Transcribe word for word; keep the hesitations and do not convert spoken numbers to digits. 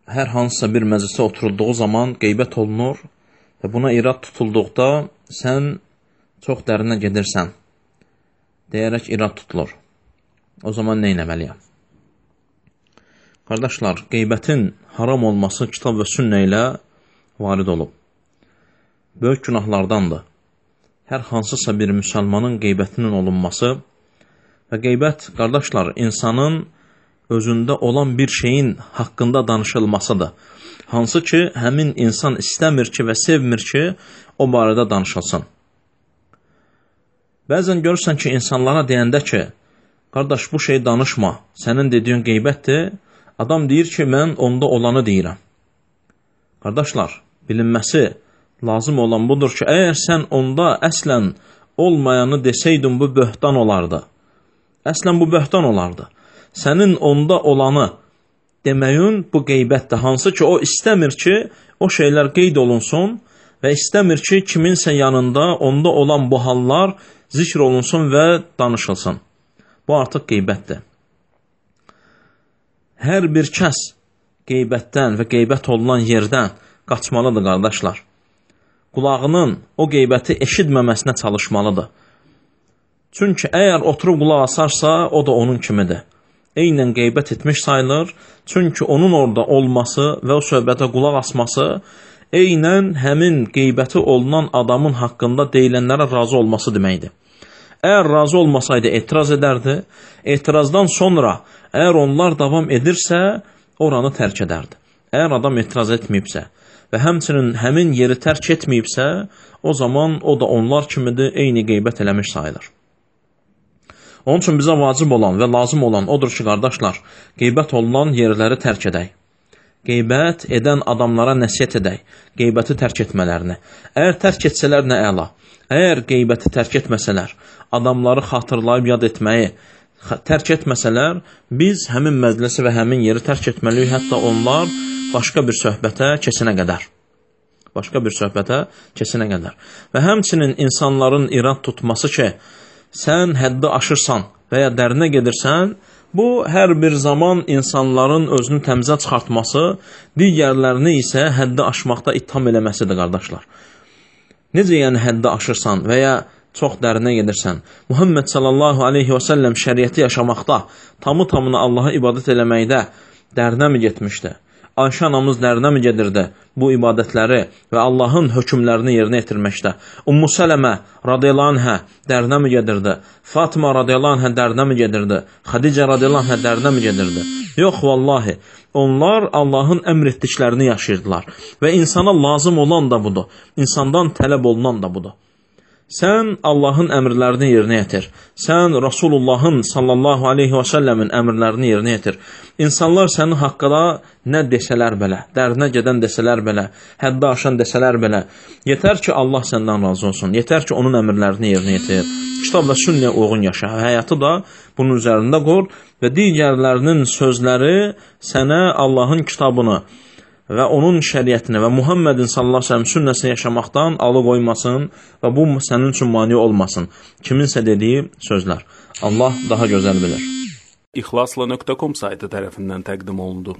hər hansısa bir məclisə oturulduğu zaman qeybət olunur və buna irad tutulduqda sən çox dərinə gedirsən deyərək irad tutulur. O zaman nə etməliyəm? Qardaşlar, qeybətin haram olması kitab və sünnə ilə varid olub. Böyük günahlardandır. Hər hansısa bir müsəlmanın qeybətinin olunması və qeybət, qardaşlar, insanın özündə olan bir şeyin haqqında danışılmasıdır. Hansı ki, həmin insan istəmir ki və sevmir ki, o barədə danışılsın. Bəzən görürsən ki, insanlara deyəndə ki, qardaş, bu şey danışma, sənin dediyin qeybətdir, adam deyir ki, mən onda olanı deyirəm. Qardaşlar, bilinməsi lazım olan budur ki, əgər sən onda əslən olmayanı desəydin, bu böhtan olardı. Əslən bu böhtan olardı. Sənin onda olanı deməyin bu qeybətdir. Hansı ki, o istəmir ki, o şeylər qeyd olunsun və istəmir ki, kiminsə yanında onda olan bu hallar zikr olunsun və danışılsın. Bu artıq qeybətdir. Hər bir kəs qeybətdən və qeybət olunan yerdən qaçmalıdır, qardaşlar. Qulağının o qeybəti eşitməməsinə çalışmalıdır. Çünki əgər oturub qulaq asarsa, o da onun kimidir. Eynən qeybət etmiş sayılır. Çünki onun orada olması və o söhbətə qulaq asması eynən həmin qeybəti olunan adamın haqqında deyilənlərə razı olması deməkdir. Əgər razı olmasaydı etiraz edərdi. Etirazdan sonra əgər onlar davam edirsə, oranı tərk edərdi. Əgər adam etiraz etməyibsə və həmçinin həmin yeri tərk etməyibsə, o zaman o da onlar kimidir, eyni qeybət eləmiş sayılır. Onun üçün bizə vacib olan və lazım olan odur ki, qardaşlar, qeybət olunan yerləri tərk edək. Qeybət edən adamlara nəsiyyət edək, qeybəti tərk etmələrini. Əgər tərk etsələr nə əla. Əgər qeybəti tərk etməsələr, adamları xatırlayıb yad etməyi tərk etməsələr, biz həmin məclisi və həmin yeri tərk etməliyik, hətta onlar başqa bir söhbətə keçinə qədər. Başqa bir söhbətə keçinə qədər. Və həmçinin insanların irad tutması ki, sən həddi aşırsan və ya dərinə gedirsən, bu hər bir zaman insanların özünü təmizə çıxartması, digərlərini isə həddi aşmaqda ittiham eləməsidir, qardaşlar. Necə yəni həddi aşırsan və ya çox dərinə gedirsən? Muhammed sallallahu aleyhi və səlləm şəriəti yaşamaqda, tamı tamına Allaha ibadət eləməkdə dərinə mi getmişdi? Ayşə anamız dərinə mi gedirdi bu ibadətləri və Allahın hökmlərini yerinə yetirməkdə? Ummu Sələmə radiyallahu anhə dərinə mi gedirdi? Fatıma radiyallahu anhə dərinə mi gedirdi? Xadicə radiyallahu anhə dərinə mi gedirdi? Yox, vallahi, onlar Allahın əmr etdiklərini yaşayırdılar və insana lazım olan da budur, insandan tələb olunan da budur. Sən Allahın əmrlərini yerinə yetir. Sən Rasulullahın sallallahu aleyhi və səlləmin əmrlərini yerinə yetir. İnsanlar sənin haqqında nə desələr belə, dərinə gedən desələr belə, həddi aşan desələr belə, yetər ki, Allah səndən razı olsun. Yetər ki, onun əmrlərini yerinə yetir. Kitab və sünnəyə uyğun yaşa. Həyatı da bunun üzərində qur və digərlərinin sözləri sənə Allahın kitabını və onun şəriətini və Muhammedin sallallahu aleyhi ve sellem sünnəsini yaşamaqdan alıqoymasın və bu sənin üçün mani olmasın. Kiminsə dediyi sözlər. Allah daha gözəl bilir. İxlasla nöqtə com saytı tərəfindən təqdim olundu.